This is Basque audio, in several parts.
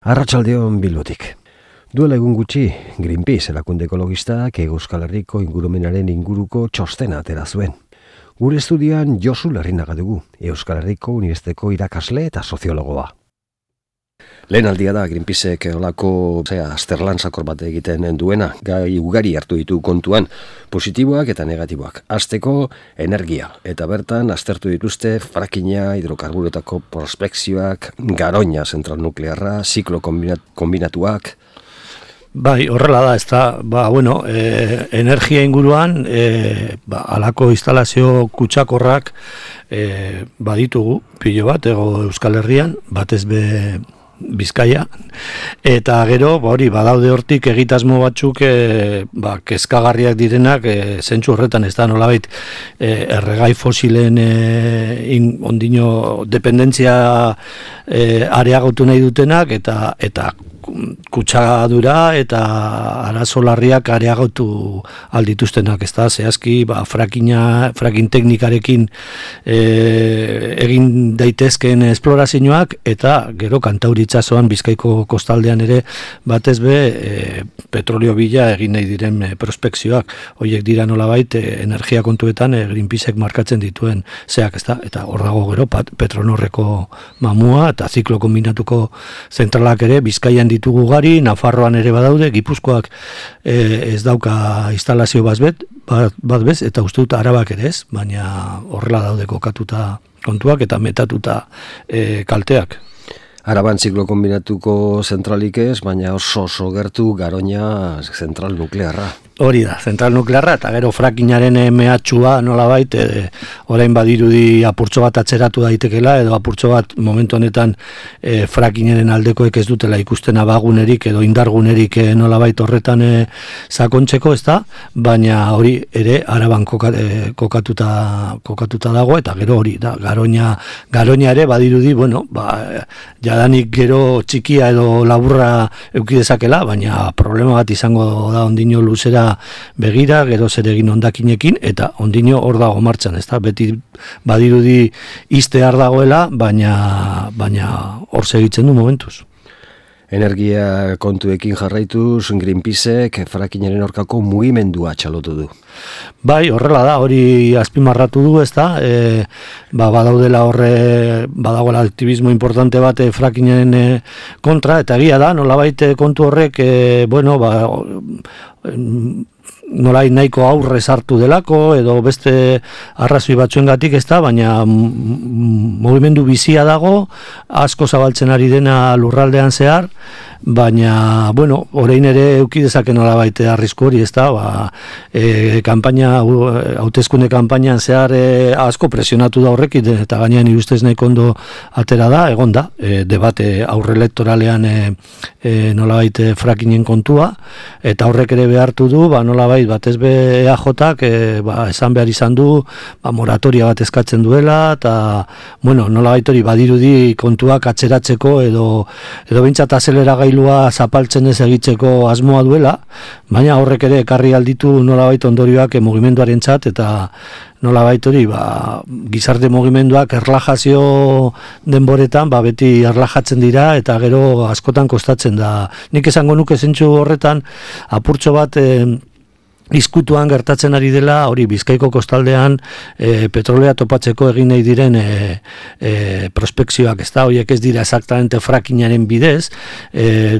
Arratsaldeon Bilbotik. Duela egun gutxi, Greenpeace erakunde ekologistak Euskal Herriko ingurumenaren inguruko txostena atera zuen. Gure estudian Josu Larrinaga dugu, Euskal Herriko Unibertsitateko irakasle eta soziologoa. Lehen aldia da Greenpeacek olako azterlan sakor bat egiten duena, gai ugari hartu ditu kontuan, positiboak eta negatiboak. Hasteko energia, eta bertan aztertu dituzte frackinga, hidrokarburetako prospekzioak, Garoña zentral nuklearra, ziklo kombinatuak. Bai, horrela da, energia inguruan, halako instalazio kutsakorrak baditugu, pilo bat, Euskal Herrian, batez be Bizkaia, eta gero, badaude hortik egitasmo batzuk kezkagarriak direnak, zentzu horretan ez da nolabait erregai fosilen ondino dependentzia areagotu nahi dutenak, eta kutsadura eta arazo larriak areagotu aldituztenak, ez da, zehazki fracking teknikarekin egin daitezkeen esplorazioak, eta gero Kantauri itsasoan Bizkaiko kostaldean ere batez be petrolio bila egin nahi diren prospekzioak. Horiek dira nolabait energia kontuetan Greenpeacek markatzen dituen zeak, ez da, eta hor dago gero Petronorreko mamua eta ziklo kombinatuko zentralak ere Bizkaian ditugu gari, Nafarroan ere badaude, Gipuzkoak ez dauka instalazio bat bez, eta uste dut Arabak ere ez, baina horrela daude kokatuta kontuak eta metatuta kalteak. Araban ziklo kombinatuko zentralik ez, baina oso gertu Garoña zentral nuklearra. Hori da, zentral nuklearra, eta gero frackingaren mehatxua nolabait, orain badirudi apurtxo bat atzeratu daitekela, edo apurtxo bat momentu honetan frackingaren aldekoek ez dutela ikusten abagunerik edo indargunerik nolabait horretan sakontzeko, ez da, baina hori ere Araban kokatuta dago, eta gero hori da, Garoña ere badirudi, jadanik gero txikia edo laburra eukidezakela, baina problema bat izango da ondino luzera begira, gero zer egin hondakinekin, eta ondino hor dago martxan, ez da, beti badirudi iztear dagoela, baina hor segitzen du momentuz. Energia kontuekin jarraituz, Greenpeacek frackingaren aurkako mugimendua txalotu du. Bai, horrela da, hori azpimarratu du, ez da, badagoela aktivismo importante bat frackingaren kontra, eta egia da, nolabait kontu horrek, nolai nahiko aurre sartu delako, edo beste arrazoi batzuengatik ez da, baina mugimendu bizia dago, asko zabaltzen ari dena lurraldean zehar, baina, orain ere eukidezaken nolabait arrisku hori, ez da, hauteskunde kanpainan zehar asko presionatu da horrekin, eta gainean irustez nahiko ondo atera da, egon da, debate aurre elektoralean nolabait frackingen kontua, eta horrek ere behartu du, nolabait batez be EAJak esan behar izan du, moratoria bat eskatzen duela, eta nolabait hori badirudi kontuak atzeratzeko edo behintzat azeleragailua zapaltzen ez egitzeko asmoa duela, baina horrek ere ekarri alditu nolabait ondorioak mugimenduarentzat, eta nolabait hori gizarte mugimenduak erlajazio denboretan beti erlajatzen dira, eta gero askotan kostatzen da. Nik esango nuke zentzu horretan apurtxo bat izkutuan gertatzen ari dela, hori Bizkaiko kostaldean petrolea topatzeko egin nahi diren prospekzioak, ez da, horiek ez dira exactamente frackingaren bidez,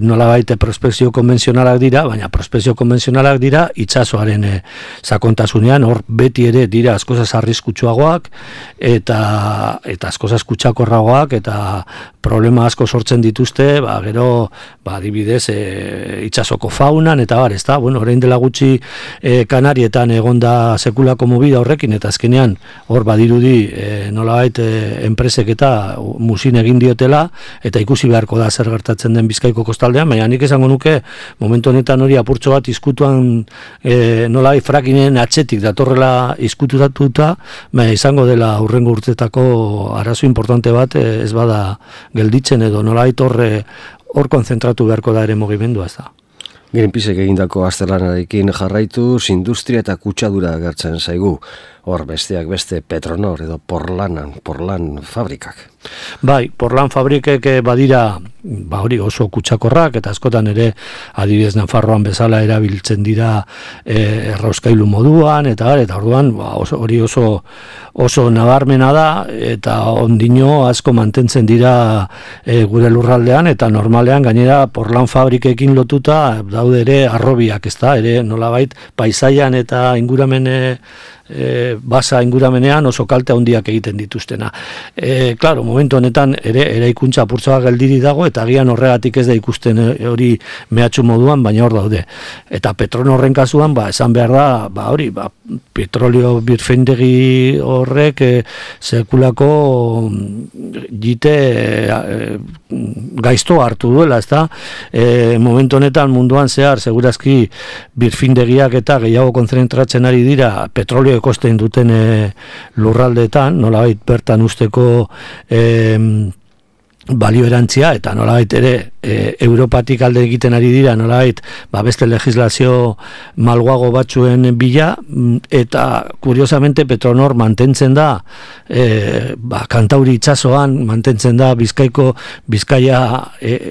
nolabait prospekzio konbentzionalak dira, baina prospekzio konbentzionalak dira itsasoaren sakontasunean, hor beti ere dira askozaz arriskutsuagoak, eta askozaz kutsakorragoak, eta problema asko sortzen dituzte, gero, adibidez, itsasoko faunan, eta ez da, orain dela gutxi Kanarietan egonda sekulako movida horrekin, eta azkenean hor badirudi nolabait enpresek eta musin egin diotela, eta ikusi beharko da zer gertatzen den Bizkaiko kostaldean, baina nik esango nuke momentu honetan hori apurtxo bat izkutuan nolabait frackingen atzetik datorrela izkututatuta, izango dela hurrengo urtetako arazo importante bat ez bada gelditzen, edo nolabait hor konzentratu beharko da ere mugimendua, ez da. Greenpeacek egindako azterlanarekin jarraituz, industria eta kutsadura agertzen zaigu. Hor besteak beste Petronor edo Porlan fabrikak. Bai, porlan fabrikek badira hori oso kutsakorrak, eta askotan ere adibidez Nafarroan bezala erabiltzen dira errauskailu moduan, eta orduan hori oso nabarmena da, eta ondino asko mantentzen dira gure lurraldean, eta normalean gainera porlan fabrikekin lotuta daude ere arrobiak, ezta, ere nolabait paisaian eta basa inguramenean oso kalte handiak egiten dituztena. Claro, momentu honetan ere eraikuntza apurtzoa geldiri dago, eta agian horregatik ez da ikusten hori mehatxu moduan, baina hor daude. Eta Petronorren kasuan, esan behar da, petrolio birfeindegi horrek sekulako jite gaizto hartu duela, ezta? Momentu honetan munduan zehar, segurazki birfindegiak eta gehiago konzentratzen ari dira petrolio ekosten duten lurraldeetan, nolabait bertan usteko balio erantzia, eta nolabait ere Europatik alde egiten ari dira, nolabait beste legislazio malguago batzuen bila, eta kuriosamente Petronor mantentzen da Kantauri itsasoan, mantentzen da Bizkaia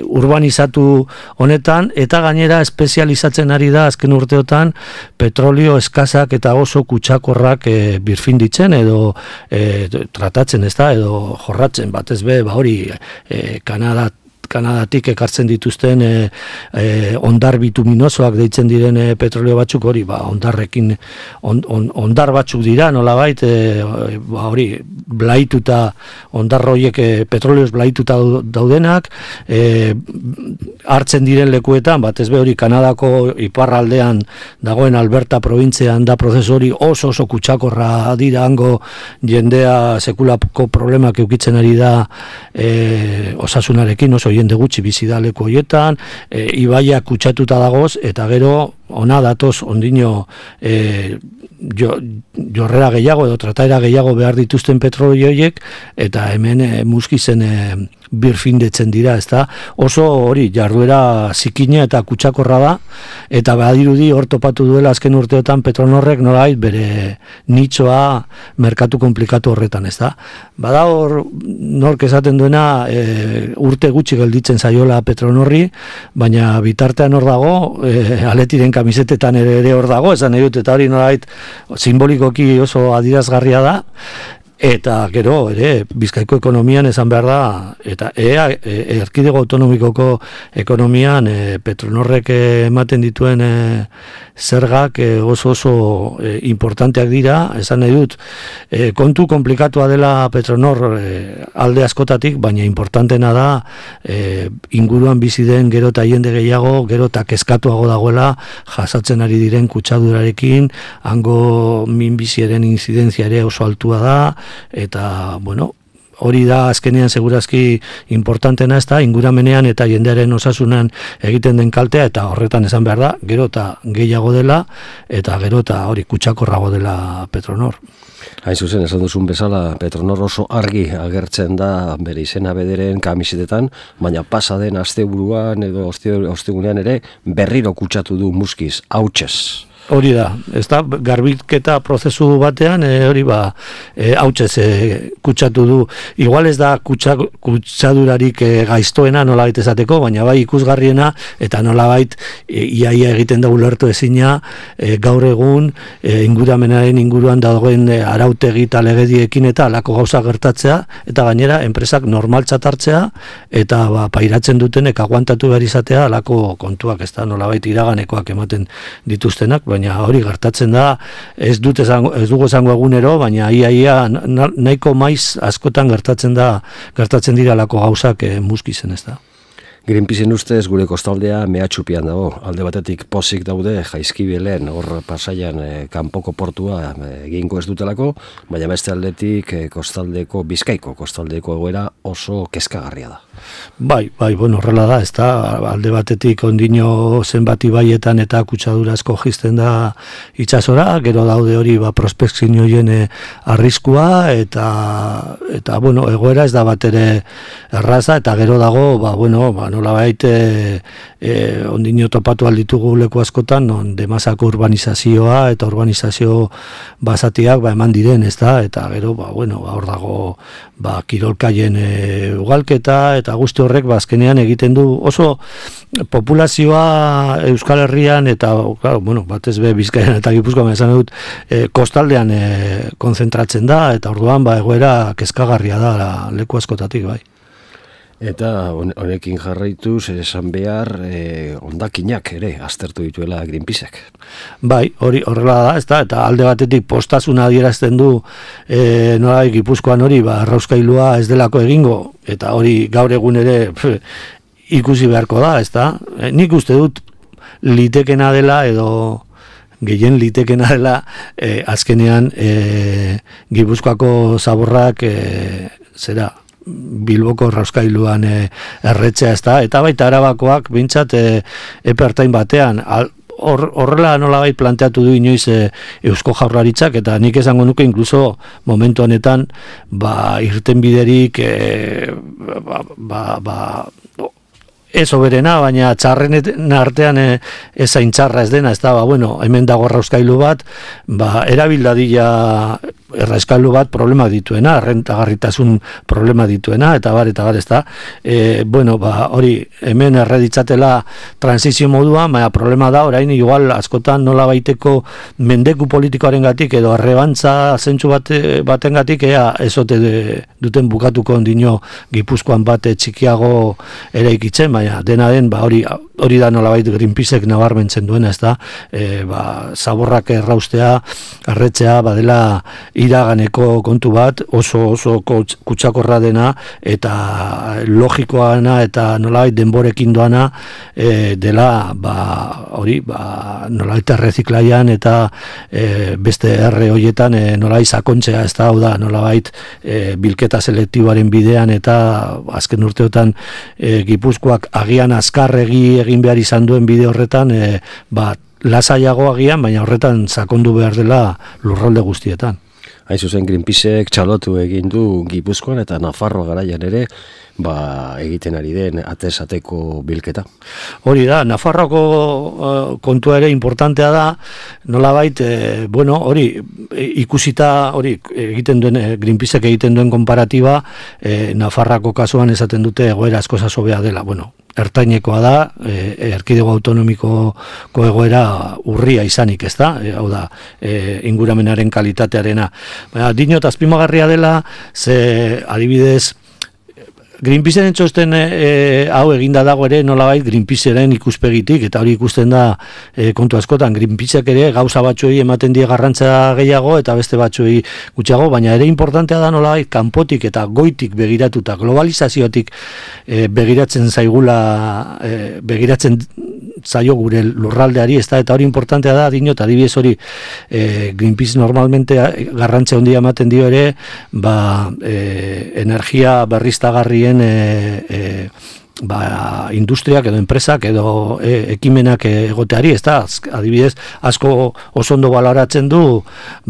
urbanizatu honetan, eta gainera espezializatzen ari da azken urteotan petrolio eskazak eta oso kutsakorrak birfinditzen edo tratatzen, ezta, edo jorratzen, batez be, hori Kanadatik ekartzen dituzten ondar bituminosoak deitzen diren petrolio batzuk, hori ondarrekin ondar batzuk dira, nolabait hori blaituta, ondar horiek petrolioz blaituta daudenak, hartzen diren lekuetan, batez be hori Kanadako iparraldean dagoen Alberta probintzean da prozesu hori oso kutsakorra dira, hango jendea sekulako problemak eukitzen ari da osasunarekin, oso jende gutxi bizi da leku horietan, ibaiak kutsatuta dagoz, eta gero ona datoz ondino jorrera gehiago edo trataera gehiago behar dituzten petrolio horiek, eta hemen muskizen birfindetzen dira, ezta? Oso hori jarduera zikina eta kutsakorra da, eta badirudi hor topatu duela azken urteotan Petronorrek nolabait bere nitxoa merkatu komplikatu horretan, ezta? Bada hor nork esaten duena urte gutxi gelditzen zaiola Petronorri, baina bitartean hor dago, Aletiren kamisetetan ere hor dago, esan nahi dut, eta hori nolabait simbolikoki oso adierazgarria da, eta gero ere Bizkaiko ekonomian esan behar da, eta erkidego autonomikoko ekonomian Petronorrek ematen dituen zergak oso importanteak dira, esan nahi dut, kontu komplikatua dela Petronor alde askotatik, baina importantena da inguruan bizi den gero eta jende gehiago, gero eta kezkatuago dagoela jasatzen ari diren kutsadurarekin, hango minbiziaren inzidentzia ere oso altua da, eta, hori da azkenean segurazki importantena, ez da, inguramenean eta jendearen osasunan egiten den kaltea, eta horretan esan behar da, gero eta gehiago dela, eta gero eta hori kutsakorrago dela Petronor. Hain zuzen, esan duzun bezala, Petronor oso argi agertzen da bere izena bederen kamisetetan, baina pasa den asteburuan edo ostegunean ere berriro kutsatu du muskiz, hautsez. Hori da, ez da, garbiketa prozesu batean, hori hautsez kutsatu du. Igual ez da kutsadurarik gaiztoena nolabait esateko, baina bai ikusgarriena, eta nolabait iaia egiten da ulertu ezina, gaur egun inguramenaren inguruan dagoen arautegi eta legediekin eta alako gauza gertatzea, eta gainera enpresak normaltzat hartzea, eta pairatzen dutenek aguantatu behar izatea alako kontuak, ez da, nolabait iraganekoak ematen dituztenak, baina hori gertatzen da, ez dugu esango egunero, baina ia nahiko maiz askotan gertatzen dira alako gauzak muskizen, ez da. Greenpeaceen ustez gure kostaldea mehatxupian dago. Alde batetik pozik daude Jaizkibelen hor Pasaian kanpoko portua egingo ez dutelako, baina beste aldetik Bizkaiko kostaldeko egoera oso kezkagarria da. Bai, horrela da, ez da, alde batetik ondino zenbat ibaietan eta kutsadura asko jizten da itsasora, gero daude hori prospekzioen arriskua, eta egoera ez da bat ere erraza, eta gero dago, nolabait ondino topatu alditugu leku askotan, non demasako urbanizazioa eta urbanizazio basatiak eman diren, ezta, eta gero, hor dago kirolkaien ugalketa, eta guzti horrek, azkenean egiten du oso populazioa Euskal Herrian, eta, batez be Bizkaian eta Gipuzkoan esan dut, kostaldean konzentratzen da, eta orduan, egoera kezkagarria da leku askotatik, bai. Eta honekin jarraituz, esan behar, hondakinak ere aztertu dituela Greenpeacek. Bai, horrela da, ezta, eta alde batetik postasuna adierazten du Gipuzkoan hori, errauskailua ez delako egingo, eta hori gaur egun ere ikusi beharko da, ezta. Nik uste dut litekena dela edo gehien litekena dela azkenean Gipuzkoako zaborrak Bilboko errauskailuan erretzea, ezta, eta baita Arabakoak bintzat epertain batean horrela nolabait planteatu du inoiz Eusko Jaurlaritzak, eta nik esango nuke inkluso momentu honetan irtenbiderik ez oberena, baina txarren artean ezain txarra ez dena, ez da, hemen dago errauskailu bat, erabildadila errauskailu bat problema dituena, errentagarritasun problema dituena, eta bar, ez da, hori, hemen erreditzatela transizio moduan, baina problema da, orain, igual, askotan nola baiteko mendeku politikoaren gatik, edo arrebantza zentsu baten gatik, ezote duten bukatuko ondino Gipuzkoan bat txikiago eraikitzen, baina dena den, hori da nolabait Greenpeacek nabarmentzen duena, ez da, zaborrak erraustea, erretzea, badela iraganeko kontu bat, oso kutsakorra dena, eta logikoana, eta nolabait denborekin doana, dela, nolabait erreziklaian, eta beste erre horietan, nolabait sakontzea, ez da, hau da, nolabait bilketa selektiboaren bidean, eta azken urteotan Gipuzkoak agian azkarregi egin behar izan duen bide horretan, lasaiago agian, baina horretan sakondu behar dela lurralde guztietan. Hain zuzen Greenpeacek txalotu egin du Gipuzkoan eta Nafarroa garaian ere, egiten ari den atesateko bilketa. Hori da, Nafarroako kontua ere importantea da, nolabait, hori ikusita, hori egiten duen, Greenpeacek egiten duen konparatiba, Nafarroako kasuan esaten dute egoera asko hobea dela, ertainekoa da, erkidego autonomikoko egoera urria izanik, ez da, hau da, inguramenaren kalitatearena. Baina, dinot, azpimagarria dela, ze adibidez, Greenpeaceren txosten hau eginda dago ere nolabait Greenpeaceren ikuspegitik, eta hori ikusten da kontu askotan, Greenpeacek ere gauza batzuei ematen die garrantza gehiago eta beste batzuei gutxiago, baina ere importantea da nolabait kanpotik eta goitik begiratuta, globalizaziotik begiratzen zaio gure lurraldeari, ez da, eta hori importantea da, dinot, adibidez hori Greenpeace normalmente garrantzia handia ematen dio ere, energia berriztagarrien industriak edo enpresak edo ekimenak egoteari, ez da, adibidez, asko oso ondo baloratzen du,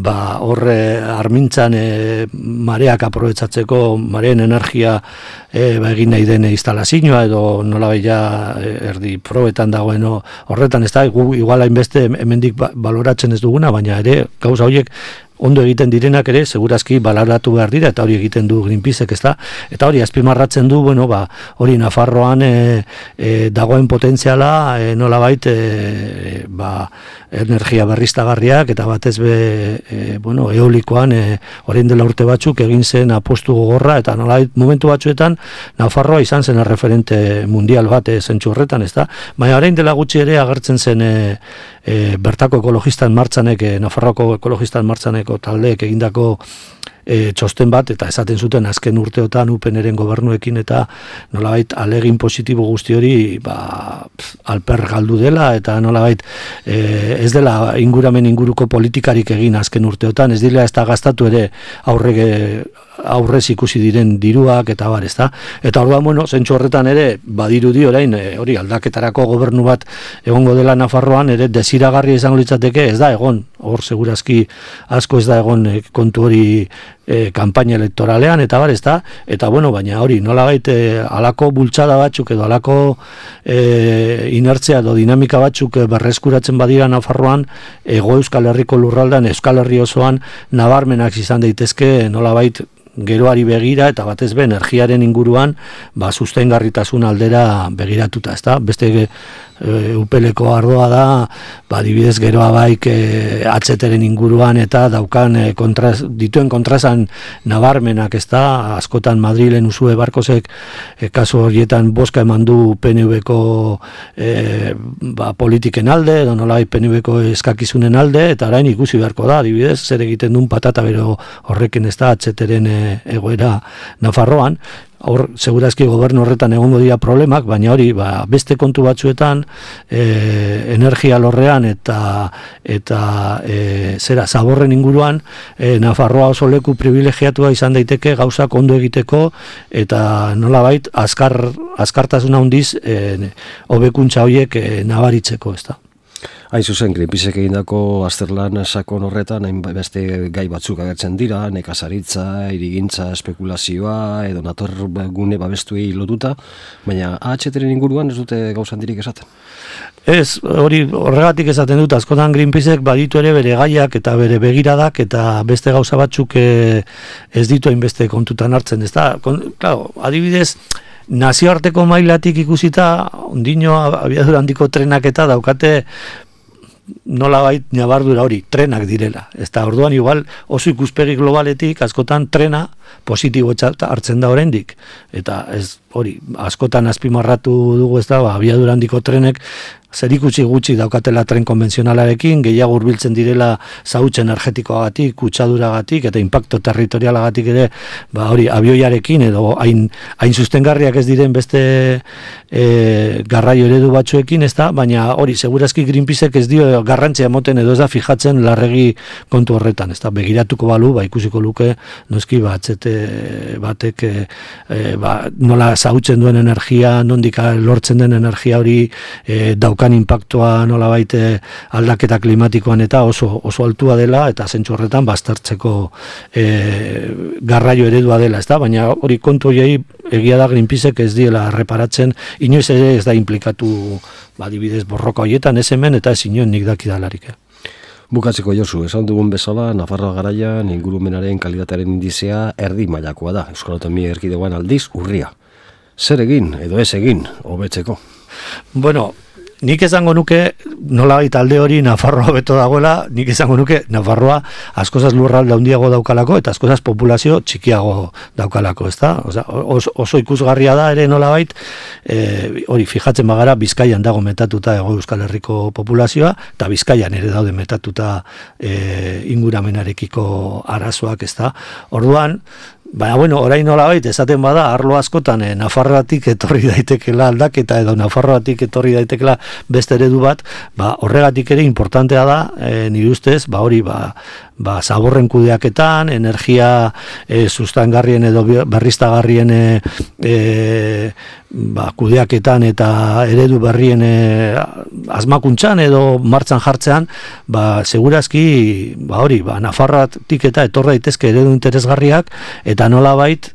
horre armintzan mareak aprobetsatzeko, mareen energia egin nahi den instalazioa edo nolabaila erdi probetan dagoen horretan, ez da, igual hainbeste hemendik baloratzen ez duguna, baina ere, gauza horiek ondo egiten direnak ere, segurazki baloratu behar dira, eta hori egiten du Greenpeacek, ez da, eta hori azpimarratzen du, hori Nafarroan dagoen potentziala, nolabait, energia berriztagarriak, eta batez eolikoan, orain dela urte batzuk egin zen apostu gogorra, eta nolabait momentu batzuetan Nafarroa izan zen referente mundial bat zentzu horretan, ez da, baina orain dela gutxi ere agertzen zen bertako ekologistan martzanek, Nafarroako ekologistan martzaneko taldeek egindako txosten bat, eta esaten zuten azken urteotan UPNren gobernuekin eta nolabait alegin positibo guzti hori alper galdu dela, eta nolabait ez dela inguruko politikarik egin azken urteotan, ez dira ez da gastatu ere aurrez ikusi diren diruak eta bar, ez da. Eta orduan, zentzu horretan ere, badirudi orain, hori aldaketarako gobernu bat egongo dela Nafarroan, ere desiragarri izango litzateke, ez da egon, hor segurazki asko ez da egon kontu hori kanpaina elektoralean, eta bar, ezta? Eta bueno, baina hori, nolabait alako bultzada batzuk edo alako inertzia edo dinamika batzuk berreskuratzen badira Nafarroan, Hego Euskal Herriko lurraldean, Euskal Herri osoan nabarmenak izan daitezke nolabait geroari begira eta batez be energiaren inguruan sustengarritasun aldera begiratuta, ezta? Beste upeleko ardoa da, adibidez geroa baik atzeteren inguruan eta daukan dituen kontrasan nabarmenak, ezta? Askotan Madrilen Usue Barkosek kasu horietan boska eman du PNV-ko politiken alde, edo nolai PNV-ko eskakizunen alde, eta orain ikusi beharko da, adibidez, zer egiten duen patata bero horrekin, ezta? Atzeteren egoera Nafarroan. Hor, segurazki gobernu horretan egongo dira problemak, baina hori, beste kontu batzuetan, energia lorrean eta zaborren inguruan, Nafarroa oso leku privilegiatua izan daiteke gauzak ondo egiteko, eta nolabait, azkartasuna handiz, hobekuntza horiek nabaritzeko, ez da. Hain zuzen, Greenpeacek egindako azterlan sakon horretan, beste gai batzuk agertzen dira, nekazaritza, irigintza, espekulazioa, edo naturgune babestuei lotuta, baina AHT-ren inguruan ez dute gauza handirik esaten. Ez, horregatik esaten dut, askotan Greenpeacek baditu ere bere gaiak eta bere begiradak eta beste gauza batzuk ez ditu hainbeste kontutan hartzen, ez da? Claro, adibidez, nazioarteko mailatik ikusita, ondino abiadura handiko trenak eta daukate nolabait nabardura hori, trenak direla. Ez da, orduan igual oso ikuspegi globaletik askotan trena positibo hartzen da oraindik. Eta ez hori, askotan azpimarratu dugu, ez da, abiadura handiko trenek zerikusi gutxi daukatela tren konbentzionalarekin, gehiago hurbiltzen direla zahutz energetikoagatik, kutsaduragatik eta inpakto territorialagatik ere, hori abioiarekin edo hain sustengarriak ez diren beste garraio eredu batzuekin, ez da, baina hori segurazki Greenpeacek ez dio garrantzia emoten edo ez da fijatzen larregi kontu horretan, ez da, begiratuko balu, ikusiko luke noski atzete batek nola zahutzen duen energia, nondik lortzen den energia hori daukan inpaktua nolabait aldaketa klimatikoan eta oso altua dela eta zentzu horretan baztertzeko garraio eredua dela, ezta? Baina hori kontu horiei egia da Greenpeacek ez diela reparatzen, inoiz ere ez da implikatu adibidez borroka horietan, ez hemen eta ez inoen nik dakidalarik. Bukatzeko Josu, esan dugun bezala, Nafarroa garaian ingurumenaren kalitatearen indizea erdi mailakoa da, Euskal Autonomia Erkidegoan aldiz urria. Zer egin edo ez egin hobetzeko? Bueno, nik esango nuke, nolabait alde hori Nafarroa beto dagoela, nik esango nuke Nafarroa askozaz lurralde handiago daukalako eta askozaz populazio txikiago daukalako, ezta? Oso ikusgarria da ere nolabait, hori fijatzen bagara Bizkaian dago metatuta Hego Euskal Herriko populazioa, eta Bizkaian ere daude metatuta inguramenarekiko arazoak, ezta? Orduan, baina, bueno, orain nolabait, esaten bada, arlo askotan Nafarroatik etorri daitekela aldaketa edo Nafarroatik etorri daitekela beste eredu bat, horregatik ere importantea da, nire ustez, hori, zaborren kudeaketan, energia sustangarrien edo berriztagarrien kudeaketan eta eredu berrien asmakuntzan edo martxan jartzean, segurazki, hori, Nafarroatik eta etor daitezke eredu interesgarriak, eta nolabait,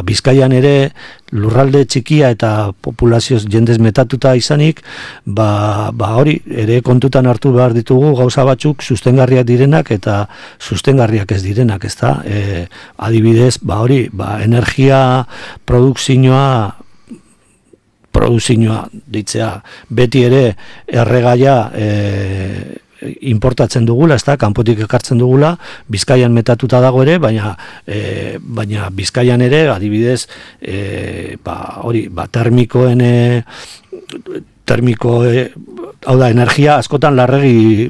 Bizkaian ere lurralde txikia eta populazioz jendez metatuta izanik, hori, ere kontutan hartu behar ditugu gauza batzuk sustengarriak direnak eta sustengarriak ez direnak, ezta? Adibidez, hori, energia produkzioa ditzea, beti ere erregaia importatzen dugula, ezta, kanpotik ekartzen dugula, Bizkaian metatuta dago ere, baina Bizkaian ere, adibidez, hori, hau da, energia askotan larregi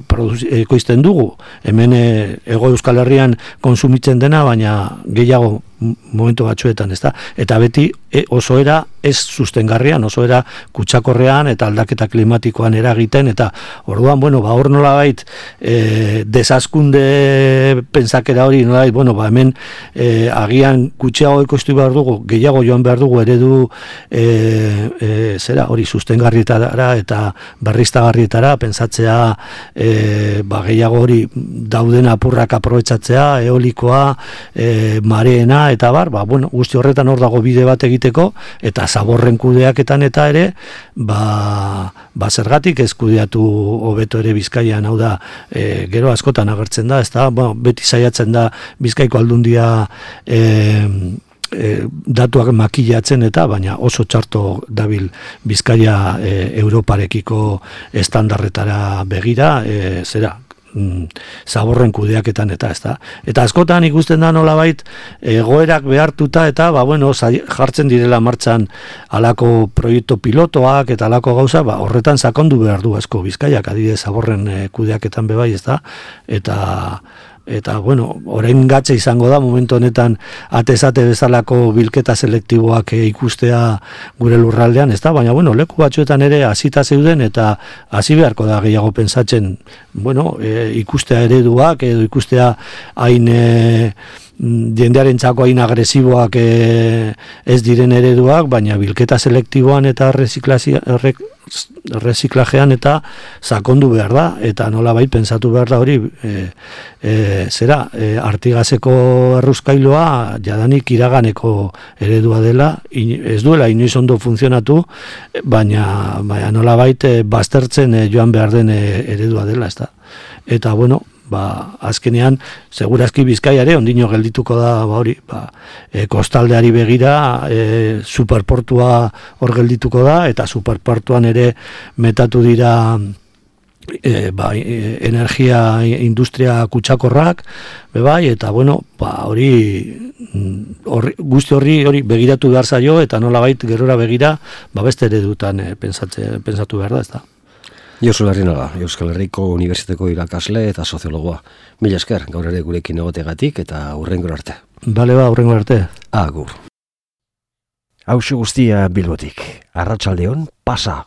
ekoizten dugu. Hemen Hego Euskal Herrian konsumitzen dena, baina gehiago momentu batzuetan, ezta? Eta beti oso era ez sustengarrian, oso era kutsakorrean eta aldaketa klimatikoan eragiten, eta orduan, hor nolabait desazkunde pentsakera hori, nolabait, hemen agian gutxiago ekoiztu behar dugu, gehiago joan behar dugu eredu hori sustengarrietara eta berriztagarrietara berriztagarrietara, pentsatzea gehiago hori dauden apurrak aprobetxatzea, eolikoa, mareena, eta guzti horretan hor dago bide bat egiteko, eta zaborren kudeaketan eta ere, zergatik ez kudeatu hobeto ere Bizkaian, hau da, gero askotan agertzen da, ezta, beti saiatzen da Bizkaiko Aldundia datuak makilatzen eta, baina oso txarto dabil Bizkaia Europarekiko estandarretara begira, zaborren kudeaketan eta ezta. Eta askotan ikusten da nolabait egoerak behartuta eta jartzen direla martxan halako proiektu pilotoak eta halako gauza, horretan sakondu behar du asko Bizkaiak, adibidez zaborren kudeaketan bebai, ezta. Eta orain gatze izango da momentu honetan atezate bezalako bilketa selektiboak ikustea gure lurraldean, ezta? Baina leku batzuetan ere hasita zeuden eta hasi beharko da gehiago pentsatzen, ikustea ereduak edo ikustea hain jendearen txako hain agresiboak ez diren ereduak, baina bilketa selektiboan eta reziklajean eta sakondu behar da, eta nolabait pentsatu behar da hori Artigaseko erruzkailoa jadanik iraganeko eredua dela, ez duela inoiz ondo funtzionatu, baina nolabait baztertzen joan behar den eredua dela, ez da. Eta azkenean, segurazki Bizkaiare ondino geldituko da kostaldeari begira, superportua hor geldituko da, eta superportuan ere metatu dira energia industria kutsakorrak, eta guzti horri begiratu behar zaio, eta nolabait gerora begira, beste eredutan pentsatu behar da, ez da. Josu Larrinaga, Euskal Herriko Unibertsitateko irakasle eta soziologoa. Mila esker, gaur ere gurekin egotegatik eta hurrengora arte. Bale hurrengora arte. Agur. Hauxe guztia Bilbotik. Arratsaldeon, pasa.